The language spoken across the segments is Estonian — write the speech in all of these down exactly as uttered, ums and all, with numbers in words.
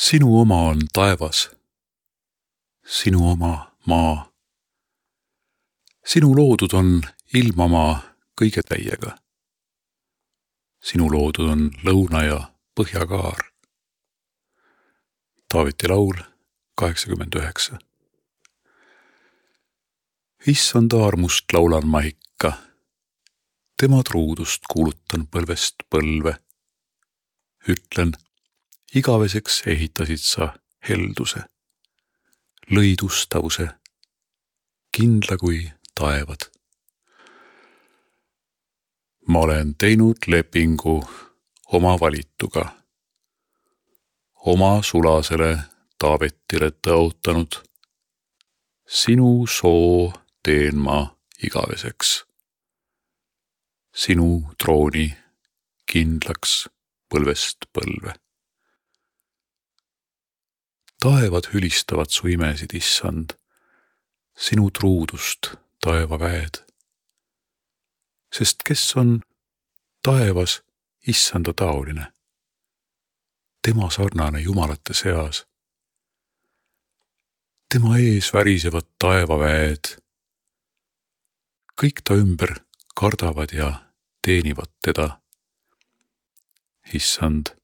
Sinu oma on taevas, sinu oma maa. Sinu loodud on ilmamaa kõige täiega. Sinu loodud on lõuna ja põhjakaar. Taaveti laul kaheksakümmend üheksa. Issanda armust laulan ma ikka, tema truudust kuulutan põlvest põlve. Ütlen, igaveseks ehitasid sa helduse, lõidustavuse, kindla kui taevad. Ma olen teinud lepingu oma valituga, oma sulasele Taavetile tõotanud, sinu soo teen ma igaveseks, sinu trooni kindlaks põlvest põlve. Taevad hülistavad su imesid, issand, sinu truudust taevaväed. Sest kes on taevas issanda taoline, tema sarnane jumalate seas. Tema ees värisevad taevaväed, kõik ta ümber kardavad ja teenivad teda. Issand,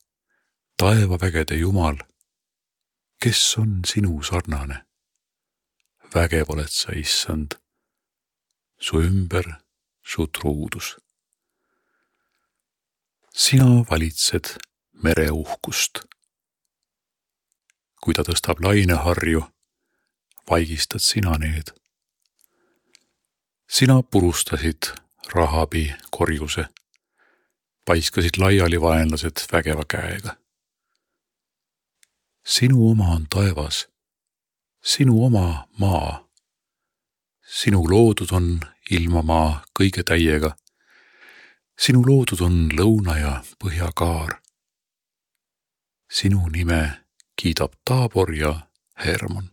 taevavägede jumal, kes on sinu sarnane? Vägev oled sa, issand, su ümber su truudus. Sina valitsed mere uhkust. Kui ta tõstab laineharju, vaigistad sina need. Sina purustasid Rahabi korjuse, paiskasid laiali vaenlased vägeva käega. Sinu oma on taevas, sinu oma maa. Sinu loodud on ilmamaa kõige täiega. Sinu loodud on lõuna ja põhjakaar. Sinu nime kiidab Taabor ja Hermon.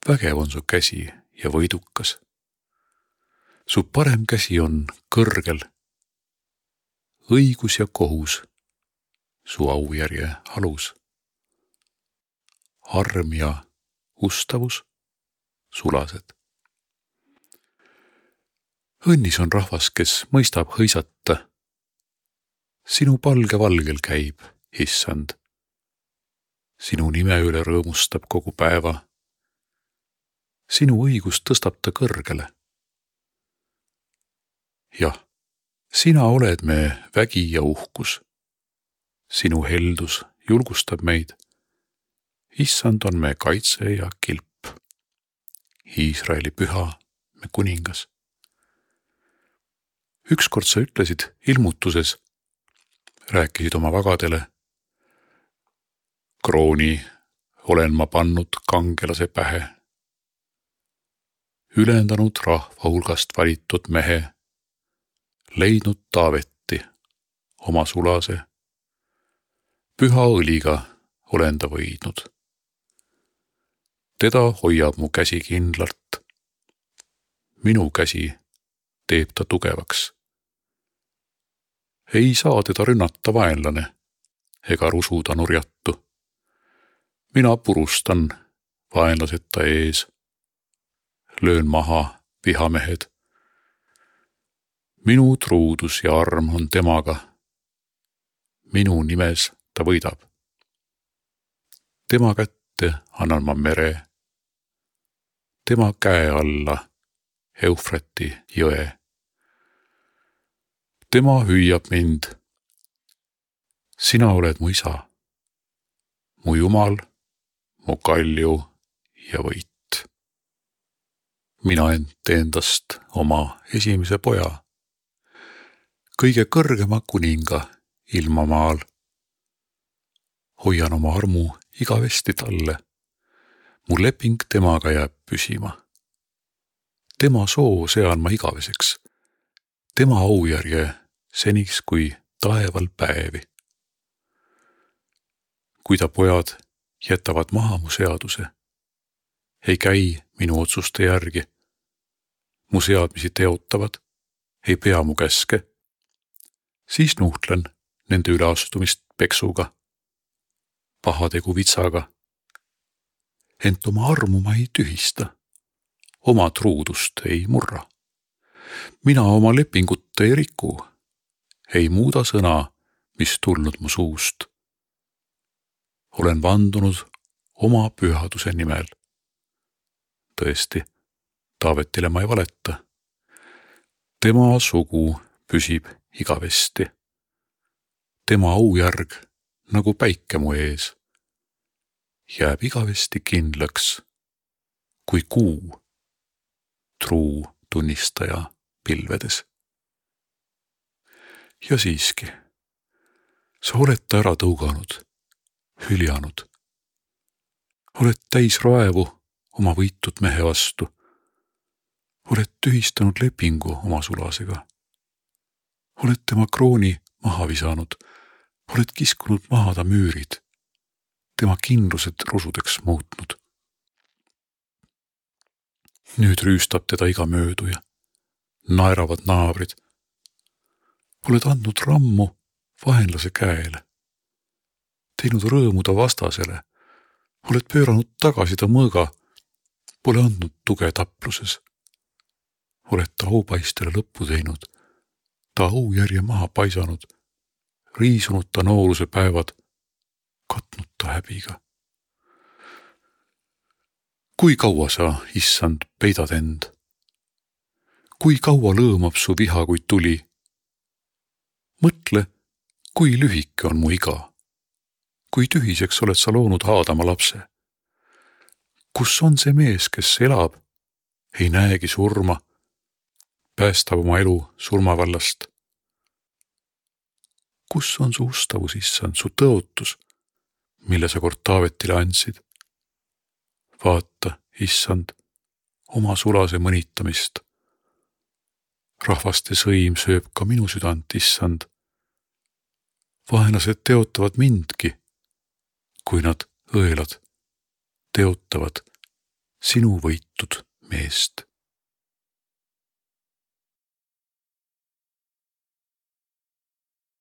Vägev on su käsi ja võidukas. Su parem käsi on kõrgel. Õigus ja kohus su aujärje alus. Arm ja ustavus sulased. Õnnis on rahvas, kes mõistab hõisata. Sinu palge valgel käib, issand. Sinu nime üle rõõmustab kogu päeva. Sinu õigus tõstab ta kõrgele. Jah, sina oled me vägi ja uhkus. Sinu heldus julgustab meid. Issand on me kaitse ja kilp. Iisraeli püha, me kuningas. Ükskord sa ütlesid ilmutuses, rääkisid oma vagadele. Krooni olen ma pannud kangelase pähe. Ülendanud rahva hulgast valitud mehe, leidnud Taavetti oma sulase. Püha õliga olen ta võidnud. Teda hoiab mu käsi kindlalt. Minu käsi teeb ta tugevaks. Ei saa teda rünnata vaenlane, ega rusuda nurjattu. Mina purustan vaenlased ta ees. Löön maha vihamehed. Minu truudus ja arm on temaga. Minu nimes ta võidab. Tema kätte annan ma mere. Tema käe alla Eufrati jõe. Tema hüüab mind. Sina oled mu isa, mu jumal, mu kalju ja võit. Mina ent endast oma esimese poja, kõige kõrgema kuninga ilmamaal. Hoian oma armu igavesti talle. Mu leping temaga jääb püsima. Tema soo sean ma igaveseks. Tema aujärje seniks kui taeval päevi. Kui ta pojad jätavad maha mu seaduse, ei käi minu otsuste järgi. Mu seadmisi teotavad, ei pea mu käske. Siis nuhtlen nende üleastumist peksuga. pahategu vitsaga. Ent oma armu ma ei tühista, oma truudust ei murra. Mina oma lepingut ei riku, ei muuda sõna, mis tulnud mu suust. Olen vandunud oma pühaduse nimel. Tõesti, Taavetile ma ei valeta. Tema sugu püsib igavesti. Tema aujärg, nagu päike mu ees, jääb igavesti kindlaks, kui kuu, truu tunnistaja pilvedes. Ja siiski, sa oled ta ära tõuganud, hüljanud. Oled täis raevu oma võitud mehe vastu. Oled tühistanud lepingu oma sulasega. Oled tema krooni maha visanud. Oled kiskunud maha ta müürid. Tema kindlused rusudeks muutnud. Nüüd rüüstab teda iga mööduja. Naeravad naabrid. Oled andnud rammu vaenlase käele. Teinud rõõmu ta vastasele. Oled pööranud tagasi ta mõõga. Pole andnud tuge tapluses. Oled ta aupaistele lõppu teinud, ta aujärje maha paisanud, riisunud ta nooruse päevad, katnud ta häbiga. Kui kaua sa, issand, peidad end? Kui kaua lõõmab su viha, kui tuli? Mõtle, kui lühike on mu iga. Kui tühiseks oled sa loonud Aadama lapse? Kus on see mees, kes elab, ei näegi surma, päästab oma elu surmavallast? Kus on su ustavus, issand, su tõotus, mille sa kord Taavetile andsid? Vaata, issand, oma sulase mõnitamist. Rahvaste sõim sööb ka minu südant, issand. Vaenlased teotavad mindki, kui nad õelad teotavad sinu võitud meest.